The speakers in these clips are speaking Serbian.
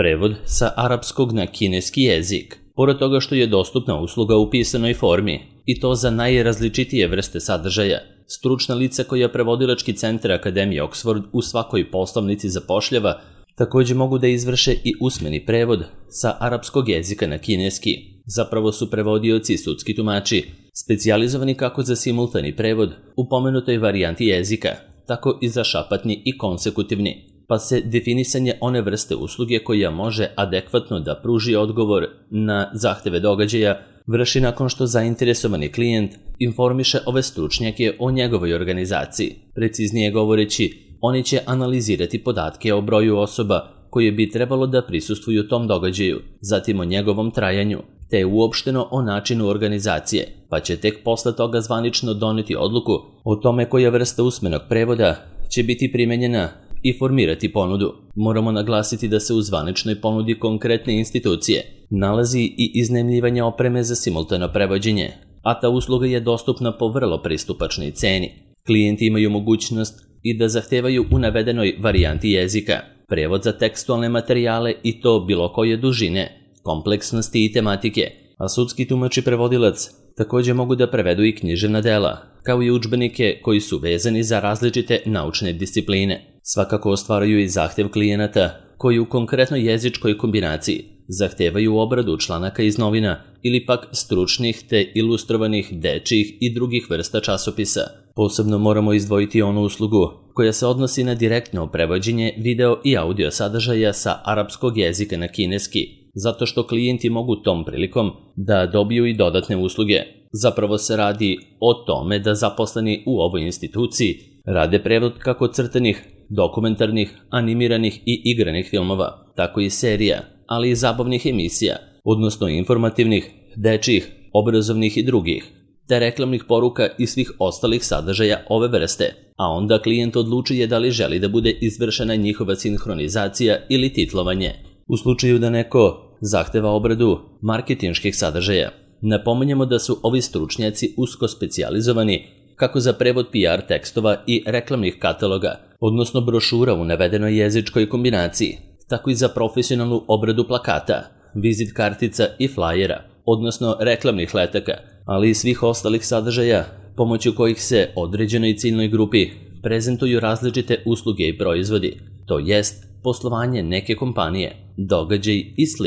Prevod sa arapskog na kineski jezik. Pored toga što je dostupna usluga u pisanoj formi, i to za najrazličitije vrste sadržaja, stručna lica koja prevodilački centar Akademije Oxford u svakoj poslovnici zapošljava također mogu da izvrše i usmeni prevod sa arapskog jezika na kineski. Zapravo su prevodioci i sudski tumači specijalizovani kako za simultani prevod u pomenutoj varijanti jezika, tako i za šapatni i konsekutivni, pa se definisanje one vrste usluge koja može adekvatno da pruži odgovor na zahteve događaja vrši nakon što zainteresovani klijent informiše ove stručnjake o njegovoj organizaciji. Preciznije govoreći, oni će analizirati podatke o broju osoba koje bi trebalo da prisustvuju tom događaju, zatim o njegovom trajanju, te uopšteno o načinu organizacije, pa će tek posle toga zvanično doneti odluku o tome koja vrsta usmenog prevoda će biti primenjena i formirati ponudu. Moramo naglasiti da se u zvaničnoj ponudi konkretne institucije nalazi i iznajmljivanje opreme za simultano prevođenje, a ta usluga je dostupna po vrlo pristupačnoj ceni. Klijenti imaju mogućnost i da zahtevaju u navedenoj varijanti jezika prevod za tekstualne materijale i to bilo koje dužine, kompleksnosti i tematike, a sudski tumač i prevodilac također mogu da prevedu i književna dela, kao i udžbenike koji su vezani za različite naučne discipline. Svakako ostvaraju i zahtev klijenata koji u konkretnoj jezičkoj kombinaciji zahtevaju obradu članaka iz novina ili pak stručnih te ilustrovanih dečjih i drugih vrsta časopisa. Posebno moramo izdvojiti onu uslugu koja se odnosi na direktno prevođenje video i audio sadržaja sa arapskog jezika na kineski, zato što klijenti mogu tom prilikom da dobiju i dodatne usluge. Zapravo se radi o tome da zaposleni u ovoj instituciji rade prevod kako crtanih, dokumentarnih, animiranih i igranih filmova, tako i serija, ali i zabavnih emisija, odnosno informativnih, dečjih, obrazovnih i drugih, te reklamnih poruka i svih ostalih sadržaja ove vrste, a onda klijent odlučuje da li želi da bude izvršena njihova sinhronizacija ili titlovanje. U slučaju da neko zahteva obradu marketinških sadržaja, napominjemo da su ovi stručnjaci usko specijalizovani kako za prevod PR tekstova i reklamnih kataloga, odnosno brošura u navedenoj jezičkoj kombinaciji, tako i za profesionalnu obradu plakata, vizit kartica i flajera, odnosno reklamnih letaka, ali i svih ostalih sadržaja pomoću kojih se određenoj ciljnoj grupi prezentuju različite usluge i proizvodi, to jest poslovanje neke kompanije, događaj i sl.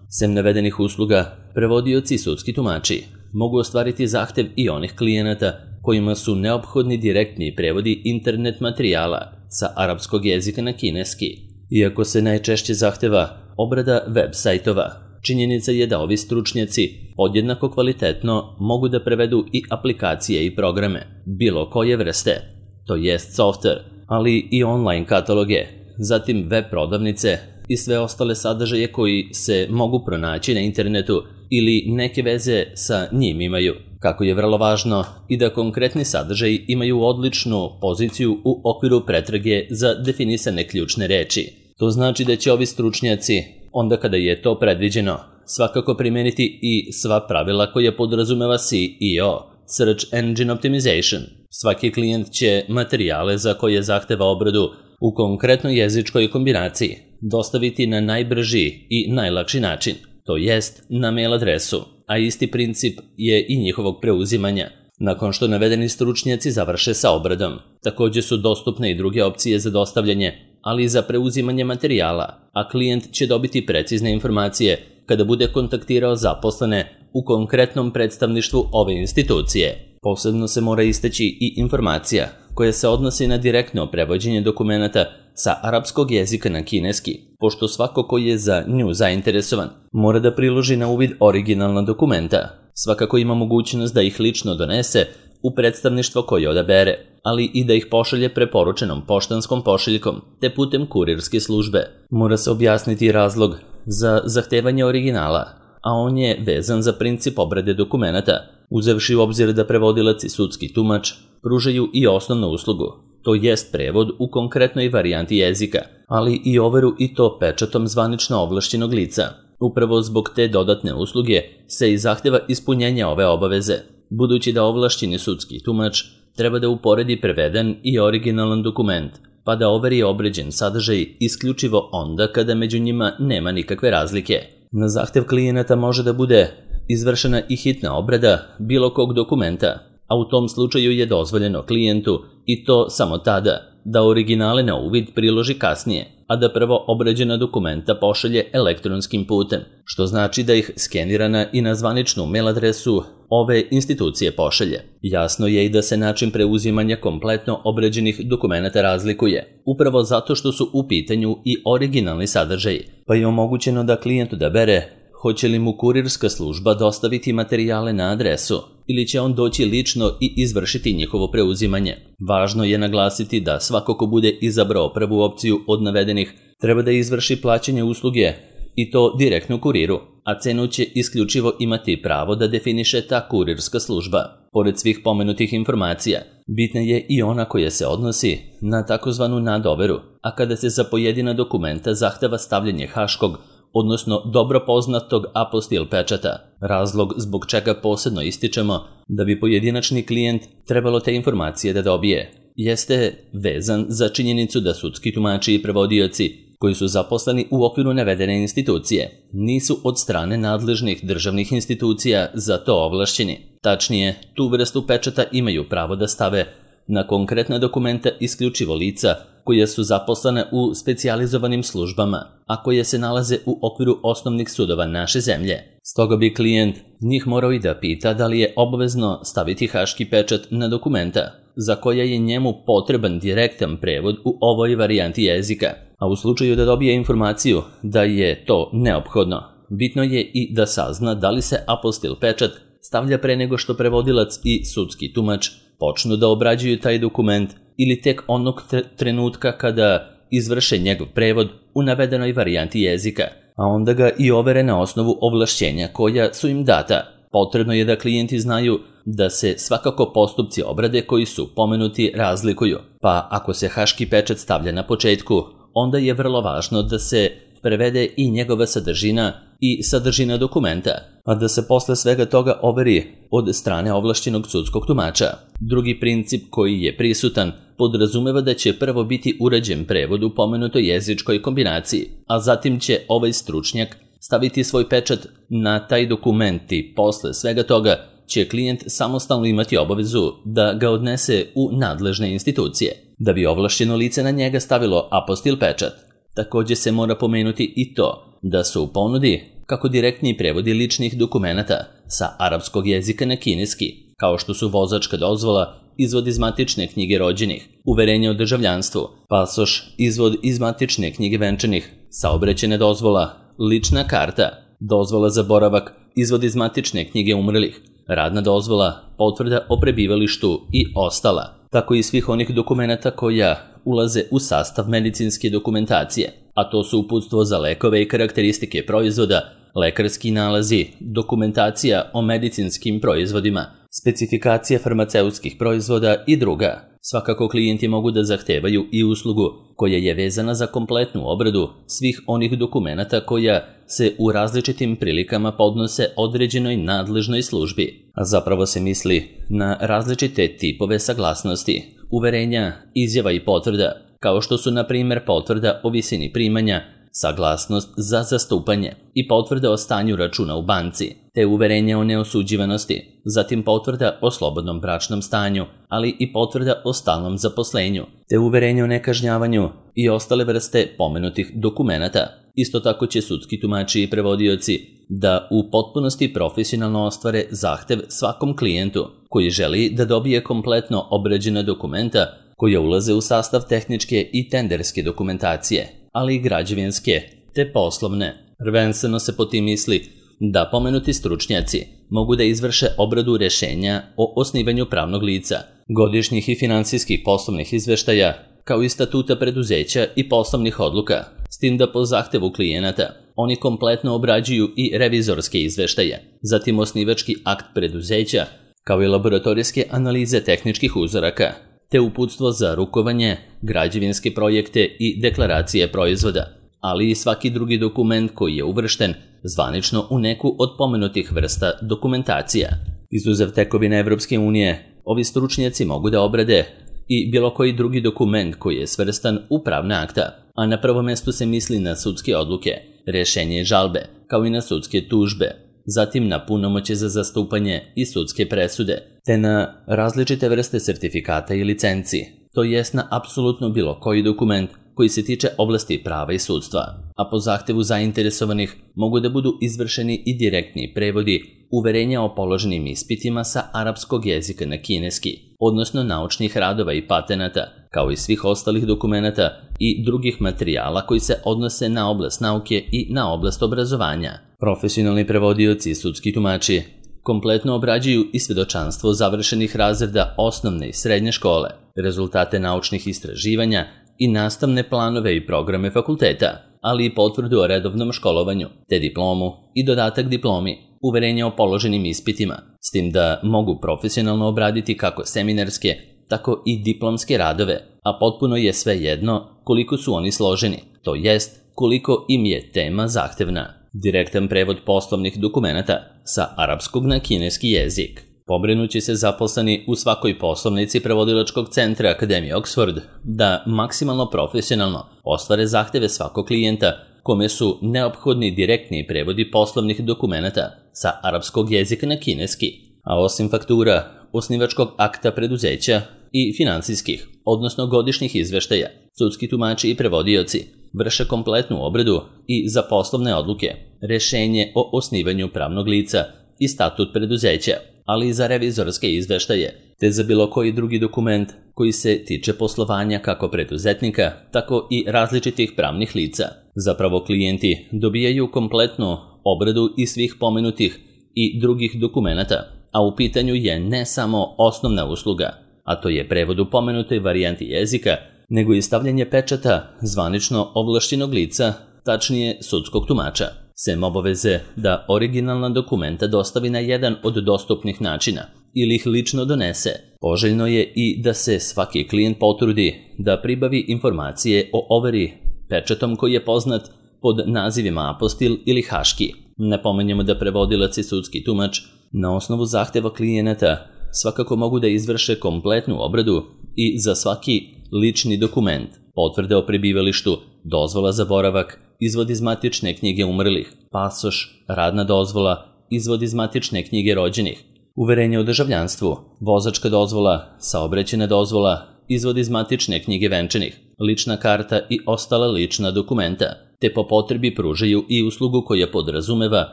Sem navedenih usluga, prevodioci i sudski tumači mogu ostvariti zahtev i onih klijenata kojima su neophodni direktni prevodi internet materijala sa arapskog jezika na kineski. Iako se najčešće zahteva obrada web sajtova, činjenica je da ovi stručnjaci podjednako kvalitetno mogu da prevedu i aplikacije i programe, bilo koje vrste, to jest softver, ali i online kataloge, zatim web prodavnice i sve ostale sadržaje koji se mogu pronaći na internetu ili neke veze sa njim imaju. Kako je vrlo važno i da konkretni sadržaji imaju odličnu poziciju u okviru pretrage za definisane ključne reči. To znači da će ovi stručnjaci, onda kada je to predviđeno, svakako primeniti i sva pravila koja podrazumeva SEO, Search Engine Optimization. Svaki klijent će materijale za koje zahteva obradu u konkretnoj jezičkoj kombinaciji dostaviti na najbrži i najlakši način, to jest na mail adresu, a isti princip je i njihovog preuzimanja. Nakon što navedeni stručnjaci završe sa obradom, također su dostupne i druge opcije za dostavljanje, ali i za preuzimanje materijala, a klijent će dobiti precizne informacije kada bude kontaktirao zaposlene u konkretnom predstavništvu ove institucije. Posebno se mora istaći i informacija koja se odnosi na direktno prevođenje dokumenata sa arapskog jezika na kineski, pošto svako ko je za nju zainteresovan mora da priloži na uvid originalna dokumenta. Svakako ima mogućnost da ih lično donese u predstavništvo koje odabere, ali i da ih pošalje preporučenom poštanskom pošiljkom te putem kurirske službe. Mora se objasniti razlog za zahtevanje originala, a on je vezan za princip obrade dokumenata, uzevši u obzir da prevodilac i sudski tumač pružaju i osnovnu uslugu, to jest prevod u konkretnoj varijanti jezika, ali i overu i to pečatom zvanično ovlašćenog lica. Upravo zbog te dodatne usluge se i zahteva ispunjenje ove obaveze, budući da ovlašćeni sudski tumač treba da uporedi preveden i originalan dokument pa da overi obređen sadržaj isključivo onda kada među njima nema nikakve razlike. Na zahtev klijenata može da bude izvršena i hitna obrada bilo kog dokumenta, a u tom slučaju je dozvoljeno klijentu, i to samo tada, da originale na uvid priloži kasnije, a da prvo obrađena dokumenta pošalje elektronskim putem, što znači da ih skenirana i na zvaničnu mail adresu ove institucije pošalje. Jasno je i da se način preuzimanja kompletno obrađenih dokumenata razlikuje, upravo zato što su u pitanju i originalni sadržaji, pa je omogućeno da klijent odabere hoće li mu kurirska služba dostaviti materijale na adresu ili će on doći lično i izvršiti njihovo preuzimanje. Važno je naglasiti da svako ko bude izabrao prvu opciju od navedenih treba da izvrši plaćanje usluge i to direktno kuriru, a cenu će isključivo imati pravo da definiše ta kurirska služba. Pored svih pomenutih informacija, bitna je i ona koja se odnosi na takozvanu nadoveru, a kada se za pojedina dokumenta zahteva stavljanje haškog, odnosno dobro poznatog apostil pečata. Razlog zbog čega posebno ističemo da bi pojedinačni klijent trebalo te informacije da dobije jeste vezan za činjenicu da sudski tumači i prevodioci koji su zaposleni u okviru navedene institucije nisu od strane nadležnih državnih institucija za to ovlašćeni. Tačnije, tu vrstu pečata imaju pravo da stave na konkretna dokumenta isključivo lica koje su zaposlene u specijalizovanim službama, a koje se nalaze u okviru osnovnih sudova naše zemlje. Stoga bi klijent njih morao i da pita da li je obavezno staviti haški pečat na dokumenta za koja je njemu potreban direktan prevod u ovoj varijanti jezika, a u slučaju da dobije informaciju da je to neophodno, bitno je i da sazna da li se apostil pečat stavlja pre nego što prevodilac i sudski tumač počnu da obrađuju taj dokument ili tek onog trenutka kada izvrše njegov prevod u navedenoj varijanti jezika, a onda ga i overe na osnovu ovlašćenja koja su im data. Potrebno je da klijenti znaju da se svakako postupci obrade koji su pomenuti razlikuju, pa ako se haški pečat stavlja na početku, onda je vrlo važno da se prevede i njegova sadržina i sadržina dokumenta, a da se posle svega toga overi od strane ovlašćenog sudskog tumača. Drugi princip koji je prisutan podrazumeva da će prvo biti urađen prevod u pomenutoj jezičkoj kombinaciji, a zatim će ovaj stručnjak staviti svoj pečat na taj dokument i posle svega toga će klijent samostalno imati obavezu da ga odnese u nadležne institucije, da bi ovlašćeno lice na njega stavilo apostil pečat. Također se mora pomenuti i to da su u ponudi kako direktni prevodi ličnih dokumenata sa arapskog jezika na kineski, kao što su vozačka dozvola, izvod iz matične knjige rođenih, uverenje o državljanstvu, pasoš, izvod iz matične knjige venčanih, saobraćajna dozvola, lična karta, dozvola za boravak, izvod iz matične knjige umrlih, radna dozvola, potvrda o prebivalištu i ostala, tako i svih onih dokumenata koja ulaze u sastav medicinske dokumentacije, a to su uputstvo za lekove i karakteristike proizvoda, lekarski nalazi, dokumentacija o medicinskim proizvodima, specifikacija farmaceutskih proizvoda i druga. Svakako klijenti mogu da zahtevaju i uslugu koja je vezana za kompletnu obradu svih onih dokumenata koja se u različitim prilikama podnose određenoj nadležnoj službi, a zapravo se misli na različite tipove saglasnosti, uverenja, izjava i potvrda, kao što su na primjer potvrda o visini primanja, saglasnost za zastupanje i potvrda o stanju računa u banci, te uverenje o neosuđivanosti, zatim potvrda o slobodnom bračnom stanju, ali i potvrda o stalnom zaposlenju, te uverenje o nekažnjavanju i ostale vrste pomenutih dokumenata. Isto tako će sudski tumači i prevodioci da u potpunosti profesionalno ostvare zahtev svakom klijentu koji želi da dobije kompletno obrađena dokumenta koja ulaze u sastav tehničke i tenderske dokumentacije, ali i građevinske te poslovne. Prvenstveno se po tim misli da pomenuti stručnjaci mogu da izvrše obradu rešenja o osnivanju pravnog lica, godišnjih i finansijskih poslovnih izveštaja, kao i statuta preduzeća i poslovnih odluka, s tim da po zahtevu klijenata oni kompletno obrađuju i revizorske izveštaje, zatim osnivački akt preduzeća, kao i laboratorijske analize tehničkih uzoraka, te uputstvo za rukovanje, građevinske projekte i deklaracije proizvoda, ali i svaki drugi dokument koji je uvršten zvanično u neku od pomenutih vrsta dokumentacija. Izuzev tekovine Evropske unije, ovi stručnjaci mogu da obrade i bilo koji drugi dokument koji je svrstan u pravna akta, a na prvom mestu se misli na sudske odluke, rješenje i žalbe, kao i na sudske tužbe, zatim na punomoćje za zastupanje i sudske presude, te na različite vrste sertifikata i licenci, to jest na apsolutno bilo koji dokument koji se tiče oblasti prava i sudstva, a po zahtevu zainteresovanih mogu da budu izvršeni i direktni prevodi uverenja o položenim ispitima sa arapskog jezika na kineski, odnosno naučnih radova i patenata, kao i svih ostalih dokumenata i drugih materijala koji se odnose na oblast nauke i na oblast obrazovanja. Profesionalni prevodioci i sudski tumači kompletno obrađuju i svedočanstvo završenih razreda osnovne i srednje škole, rezultate naučnih istraživanja i nastavne planove i programe fakulteta, ali i potvrdu o redovnom školovanju, te diplomu i dodatak diplomi, uverenje o položenim ispitima, s tim da mogu profesionalno obraditi kako seminarske, tako i diplomske radove, a potpuno je sve jedno koliko su oni složeni, to jest koliko im je tema zahtevna. Direktan prevod poslovnih dokumenata sa arapskog na kineski jezik. Pobrinući se zaposleni u svakoj poslovnici prevodilačkog centra Akademije Oxford da maksimalno profesionalno ostvare zahteve svakog klijenta kome su neophodni direktni prevodi poslovnih dokumenata sa arapskog jezika na kineski, a osim faktura, osnivačkog akta preduzeća i finansijskih, odnosno godišnjih izveštaja, sudski tumači i prevodioci vrše kompletnu obradu i za poslovne odluke, rješenje o osnivanju pravnog lica i statut preduzeća, ali i za revizorske izveštaje, te za bilo koji drugi dokument koji se tiče poslovanja kako preduzetnika, tako i različitih pravnih lica. Zapravo klijenti dobijaju kompletnu obradu i svih pomenutih i drugih dokumenata, a u pitanju je ne samo osnovna usluga, a to je prevod u pomenutoj varijanti jezika, nego i stavljanje pečata zvanično ovlašćenog lica, tačnije sudskog tumača, sem obaveze da originalna dokumenta dostavi na jedan od dostupnih načina ili ih lično donese. Poželjno je i da se svaki klijent potrudi da pribavi informacije o overi pečatom koji je poznat pod nazivima apostil ili haški. Napomenjemo da prevodilac i sudski tumač na osnovu zahteva klijenata svakako mogu da izvrše kompletnu obradu i za svaki lični dokument, potvrde o prebivalištu, dozvola za boravak, izvod iz matične knjige umrlih, pasoš, radna dozvola, izvod iz matične knjige rođenih, uverenje o državljanstvu, vozačka dozvola, saobraćajna dozvola, izvod iz matične knjige venčanih, lična karta i ostala lična dokumenta, te po potrebi pružaju i uslugu koja podrazumeva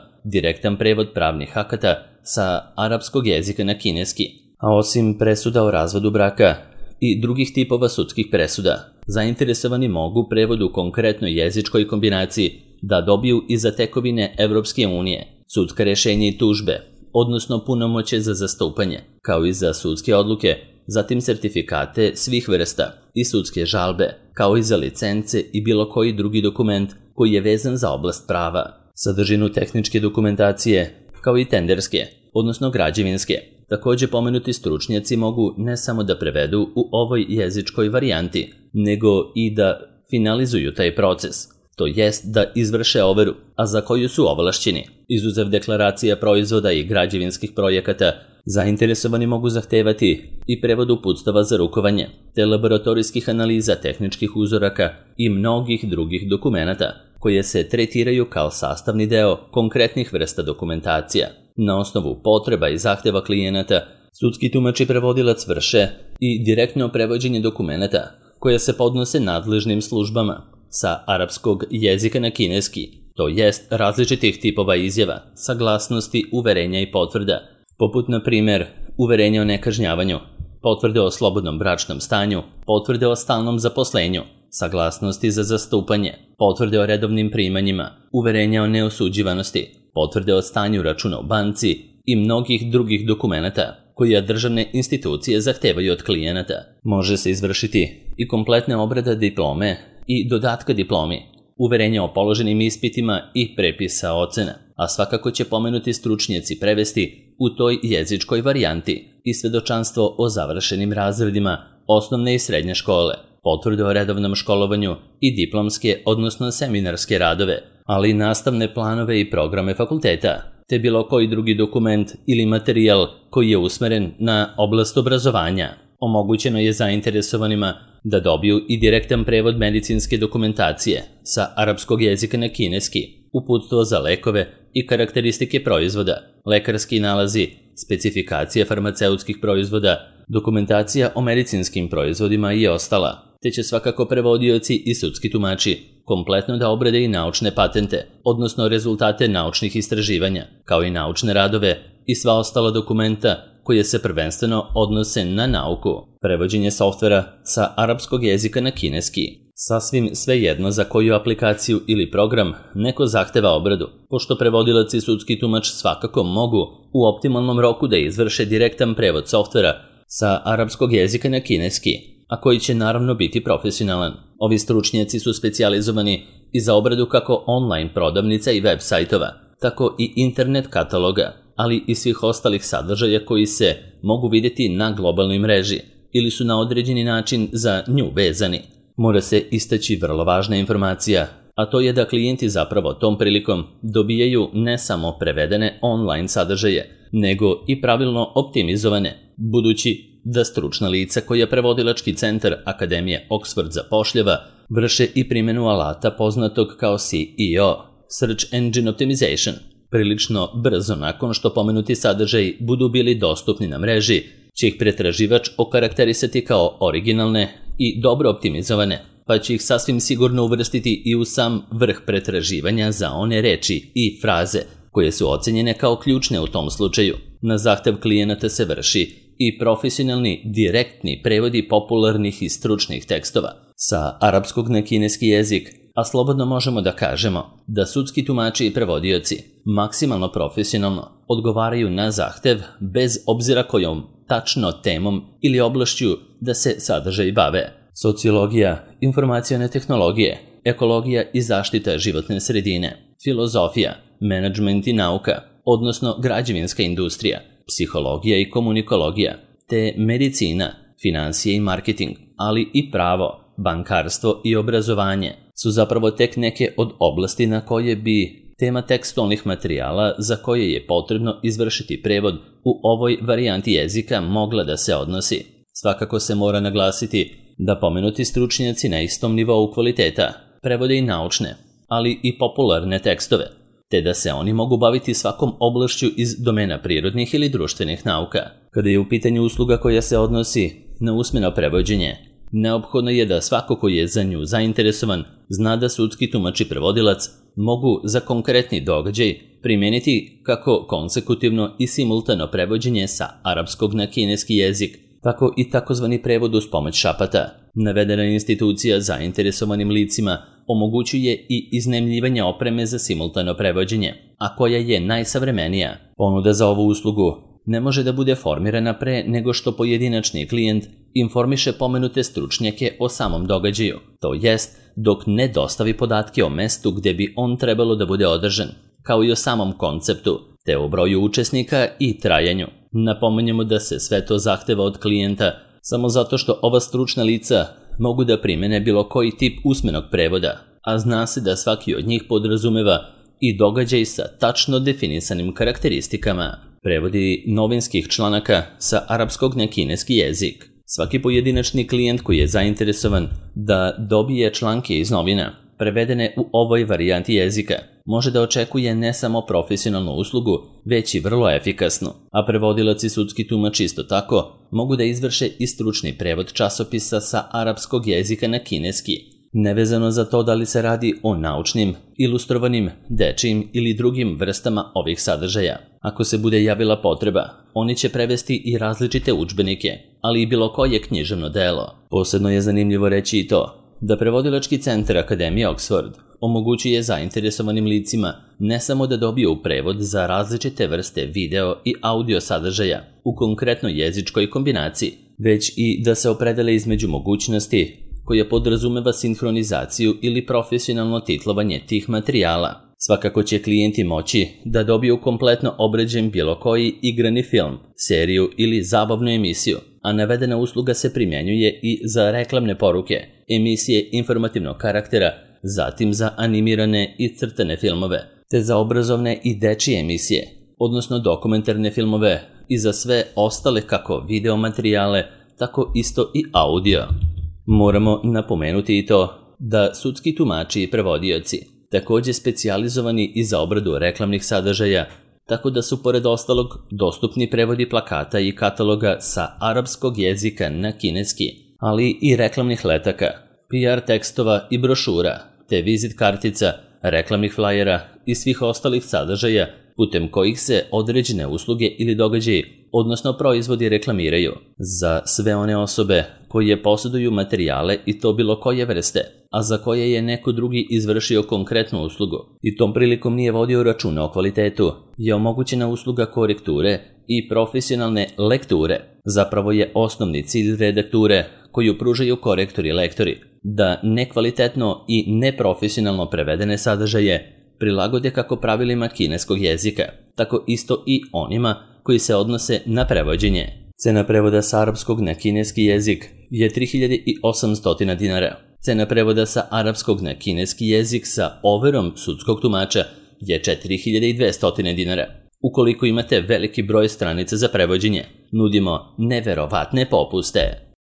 direktan prevod pravnih akata sa arapskog jezika na kineski. A osim presuda o razvodu braka i drugih tipova sudskih presuda, zainteresovani mogu prevod u konkretnoj jezičkoj kombinaciji da dobiju i za tekovine Evropske unije, sudska rješenja i tužbe, odnosno punomoćje za zastupanje, kao i za sudske odluke, zatim sertifikate svih vrsta i sudske žalbe, kao i za licence i bilo koji drugi dokument koji je vezan za oblast prava, sadržinu tehničke dokumentacije, kao i tenderske, odnosno građevinske. Također pomenuti stručnjaci mogu ne samo da prevedu u ovoj jezičkoj varijanti, nego i da finalizuju taj proces, to jest da izvrše overu, a za koju su ovlašćeni. Izuzev deklaracija proizvoda i građevinskih projekata, zainteresovani mogu zahtevati i prevod uputstava za rukovanje, te laboratorijskih analiza tehničkih uzoraka i mnogih drugih dokumenata, koje se tretiraju kao sastavni deo konkretnih vrsta dokumentacija. Na osnovu potreba i zahteva klijenata, sudski tumač i prevodilac vrše i direktno prevođenje dokumenata koje se podnose nadležnim službama sa arapskog jezika na kineski, to jest različitih tipova izjava, saglasnosti, uverenja i potvrda, poput na primjer uverenja o nekažnjavanju, potvrde o slobodnom bračnom stanju, potvrde o stalnom zaposlenju, saglasnosti za zastupanje, potvrde o redovnim primanjima, uverenja o neosuđivanosti, potvrde o stanju računa u banci i mnogih drugih dokumenata koje državne institucije zahtevaju od klijenata. Može se izvršiti i kompletna obrada diplome i dodatka diplomi, uverenja o položenim ispitima i prepisa ocena, a svakako će pomenuti stručnjaci prevesti u toj jezičkoj varijanti i svedočanstvo o završenim razredima osnovne i srednje škole, potvrde o redovnom školovanju i diplomske, odnosno seminarske radove, ali i nastavne planove i programe fakulteta, te bilo koji drugi dokument ili materijal koji je usmeren na oblast obrazovanja, Omogućeno je zainteresovanima da dobiju i direktan prevod medicinske dokumentacije sa arapskog jezika na kineski, uputstvo za lekove i karakteristike proizvoda, lekarski nalazi, specifikacije farmaceutskih proizvoda, dokumentacija o medicinskim proizvodima i ostala, te će svakako prevodioci i sudski tumači kompletno da obrade i naučne patente, odnosno rezultate naučnih istraživanja, kao i naučne radove i sva ostala dokumenta koje se prvenstveno odnose na nauku. Prevođenje softvera sa arapskog jezika na kineski. Sasvim svejedno za koju aplikaciju ili program neko zahteva obradu, pošto prevodilac i sudski tumač svakako mogu u optimalnom roku da izvrše direktan prevod softvera sa arapskog jezika na kineski, a koji će naravno biti profesionalan. Ovi stručnjaci su specijalizovani i za obradu kako online prodavnica i web sajtova, tako i internet kataloga, ali i svih ostalih sadržaja koji se mogu vidjeti na globalnoj mreži ili su na određeni način za nju vezani. Mora se istaći vrlo važna informacija, a to je da klijenti zapravo tom prilikom dobijaju ne samo prevedene online sadržaje, nego i pravilno optimizovane, budući da stručna lica koja prevodilački centar Akademije Oxford zapošljava vrše i primjenu alata poznatog kao SEO, Search Engine Optimization. Prilično brzo nakon što pomenuti sadržaji budu bili dostupni na mreži, će ih pretraživač okarakterisati kao originalne i dobro optimizovane, pa će ih sasvim sigurno uvrstiti i u sam vrh pretraživanja za one reči i fraze koje su ocenjene kao ključne u tom slučaju. Na zahtev klijenata se vrši i profesionalni direktni prevodi popularnih i stručnih tekstova sa arapskog na kineski jezik, a slobodno možemo da kažemo da sudski tumači i prevodioci maksimalno profesionalno odgovaraju na zahtev bez obzira kojom tačno temom ili oblašću da se sadržaj bave. Sociologija, informacione tehnologije, ekologija i zaštita životne sredine, filozofija, menadžment i nauka, odnosno građevinska industrija, psihologija i komunikologija, te medicina, financije i marketing, ali i pravo, bankarstvo i obrazovanje su zapravo tek neke od oblasti na koje bi tema tekstualnih materijala za koje je potrebno izvršiti prevod u ovoj varijanti jezika mogla da se odnosi. Svakako se mora naglasiti da pomenuti stručnjaci na istom nivou kvaliteta prevode i naučne, ali i popularne tekstove, te da se oni mogu baviti svakom oblašću iz domena prirodnih ili društvenih nauka. Kada je u pitanju usluga koja se odnosi na usmeno prevođenje, neophodno je da svako ko je za nju zainteresovan zna da sudski tumač i prevodilac mogu za konkretni događaj primijeniti kako konsekutivno i simultano prevođenje sa arapskog na kineski jezik, tako i takozvani prevod uz pomoć šapata. Navedena institucija zainteresovanim licima omogućuje i iznajmljivanje opreme za simultano prevođenje, a koja je najsavremenija. Ponuda za ovu uslugu ne može da bude formirana pre nego što pojedinačni klijent informiše pomenute stručnjake o samom događaju, to jest dok ne dostavi podatke o mestu gde bi on trebalo da bude održan, kao i o samom konceptu, te o broju učesnika i trajanju. Napominjemo da se sve to zahteva od klijenta samo zato što ova stručna lica mogu da primene bilo koji tip usmenog prevoda, a zna se da svaki od njih podrazumeva i događaj sa tačno definisanim karakteristikama. Prevodi novinskih članaka sa arapskog na kineski jezik. Svaki pojedinačni klijent koji je zainteresovan da dobije članke iz novina prevedene u ovoj varijanti jezika može da očekuje ne samo profesionalnu uslugu, već i vrlo efikasnu, a prevodilac i sudski tumač isto tako mogu da izvrše i stručni prevod časopisa sa arapskog jezika na kineski, nevezano za to da li se radi o naučnim, ilustrovanim, dečijim ili drugim vrstama ovih sadržaja. Ako se bude javila potreba, oni će prevesti i različite udžbenike, ali i bilo koje književno delo. Posebno je zanimljivo reći i to da prevodilački centar Akademije Oxford omogućuje zainteresovanim licima ne samo da dobiju prevod za različite vrste video i audio sadržaja u konkretnoj jezičkoj kombinaciji, već i da se opredele između mogućnosti koja podrazumeva sinhronizaciju ili profesionalno titlovanje tih materijala. Svakako će klijenti moći da dobiju kompletno obrađen bilo koji igrani film, seriju ili zabavnu emisiju, a navedena usluga se primjenjuje i za reklamne poruke, emisije informativnog karaktera, zatim za animirane i crtane filmove, te za obrazovne i dečije emisije, odnosno dokumentarne filmove i za sve ostale kako video materijale, tako isto i audio. Moramo napomenuti i to da sudski tumači i prevodioci, također specijalizovani i za obradu reklamnih sadržaja, tako da su pored ostalog dostupni prevodi plakata i kataloga sa arapskog jezika na kineski, ali i reklamnih letaka, PR tekstova i brošura, te vizit kartica, reklamnih flajera i svih ostalih sadržaja putem kojih se određene usluge ili događaji, odnosno proizvodi reklamiraju za sve one osobe koje posjeduju materijale i to bilo koje vrste, a za koje je neko drugi izvršio konkretnu uslugu i tom prilikom nije vodio računa o kvalitetu, je omogućena usluga korekture i profesionalne lekture. Zapravo je osnovni cilj redakture koju pružaju korektori i lektori, da nekvalitetno i neprofesionalno prevedene sadržaje prilagode kako pravilima kineskog jezika, tako isto i onima koji se odnose na prevođenje. Cena prevoda sa arapskog na kineski jezik je 3800 dinara. Cena prevoda sa arapskog na kineski jezik sa overom sudskog tumača je 4200 dinara. Ukoliko imate veliki broj stranica za prevođenje, nudimo neverovatne popuste.